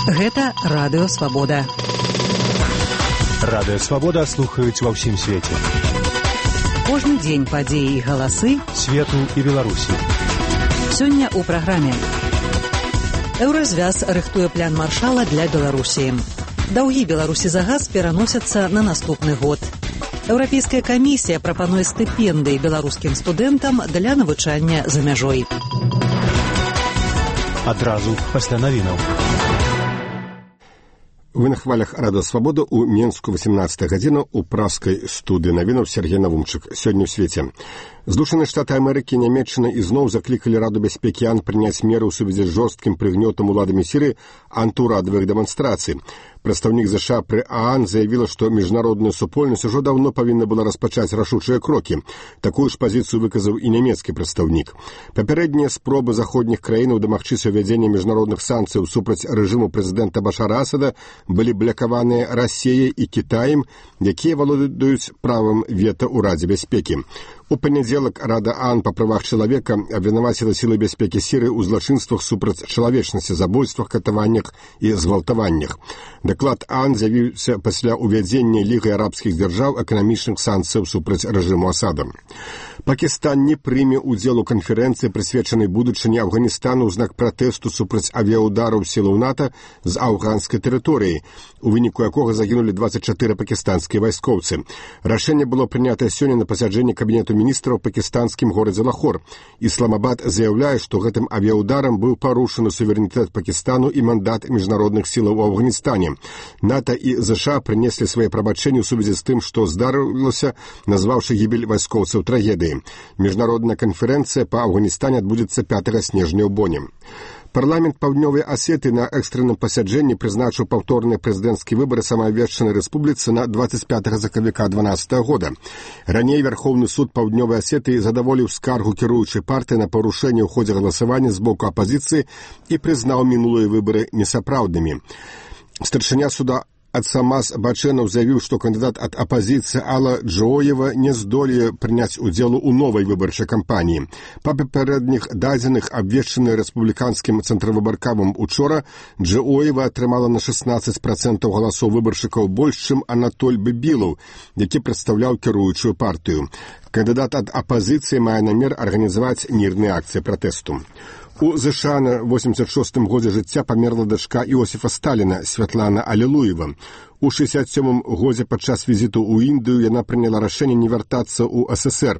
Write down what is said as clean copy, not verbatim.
Гэта Радыё Свабода. Радыё Свабода слухаюць ва ўсім свеце. Кожны дзень падзеі і галасы свету і Беларусі. Сёння ў праграме. Еўразвяз рыхтуе план маршала для Беларусі. Даўгі Беларусі за газ пераносяцца на наступны год. Еўрапейская камісія прапануе стыпендыі беларускім студэнтам для навучання за мяжой. Адразу пасля навінаў. Вы на хвалях Радыё Свабода ў Менску 18 гадзіна ў праскай студыі навінаў Сергей Навумчык. Сёння ў свеце. Злучаныя Штаты Амерыкі і Нямецчына ізноў заклікалі Раду бяспекі АН прыняць меры ў сувязі з жорсткім прыгнётам уладамі Сірыі антыурадавых дэманстрацый. Прадстаўнік ЗША пры ААН заявіла, што міжнародная супольнасць ужо даўно павінна была распачаць рашучыя крокі. Такую ж пазіцыю выказаў і нямецкі прадстаўнік. Папярэднія спробы заходніх краінаў дамагчыся ўвядзення міжнародных санкцыяў супраць рэжыму прэзідэнта Башара Асада былі блакаваныя Расіяй і Кітаем, якія валодаюць правам вета ў Радзе бяспекі. У панядзелак Рада ААН па правах чалавека абвінаваціла сілы бяспекі Сірыі ў злачынствах супраць чалавечнасці, забойствах, катаваннях і згвалтаваннях. Даклад ААН з'явіўся пасля ўвядзення Лігай арабскіх дзяржаў эканамічных санкцыяў супраць рэжыму Асада. Пакістан не прыме ўдзел у канферэнцыі, прысвечанай будучыні Афганістану ў знак пратэсту супраць авіяудараў сілаў НАТО з афганскай тэрыторыі, у выніку якога загінулі 24 пакістанскія вайскоўцы. Рашэнне было прынятае сёння на пасяджэнні кабінету міністраў у пакістанскім горадзе Лахор. Ісламабад заяўляе, што гэтым авіяударам быў парушаны суверэнітэт Пакістану і мандат міжнародных сілаў у Афганістане. НАТО і ЗША прынеслі свае прабачэнні ў сувязі з тым, што здарылася, назваўшы гібель вайскоўцаў трагедыяй. Міжнародная канферэнцыя па Афганістане адбудзецца 5 снежня ў Боне. Парламент Паўднёвай Асетыі на экстранным пасяджэнні прызначыў паўторныя прэзідэнцкія выбары самаабвешчанай рэспубліцы на 25 сакавіка 2012 года. Раней Вярхоўны суд Паўднёвай Асетыі задаволіў скаргу кіруючай партыі на парушэнне ў ходзе галасавання з боку апазіцыі і прызнаў мінулыя выбары несапраўднымі. Старшыня суда Ацамас Бачэнаў заявіў, што кандыдат ад апазіцыі Алла Джоева не здолее прыняць удзелу ў новай выбарчай кампаніі. Па папярэдніх дадзеных, абвешчаных рэспубліканскім цэнтравыбаркавым учора, Джоева атрымала на 16% галасоў выбаршчыкаў больш, чым Анатоль Бібілаў, які прадстаўляў кіруючую партыю. Кандыдат ад апазіцыі мае намер арганізаваць мірныя акцыі пратэсту. У ЗША на 86-м годзе жыцця памерла дачка Іосіфа Сталіна, Святлана Алілуева. У 67-м годзе падчас візіту ў Індыю яна прыняла рашэнне не вяртацца ў СССР.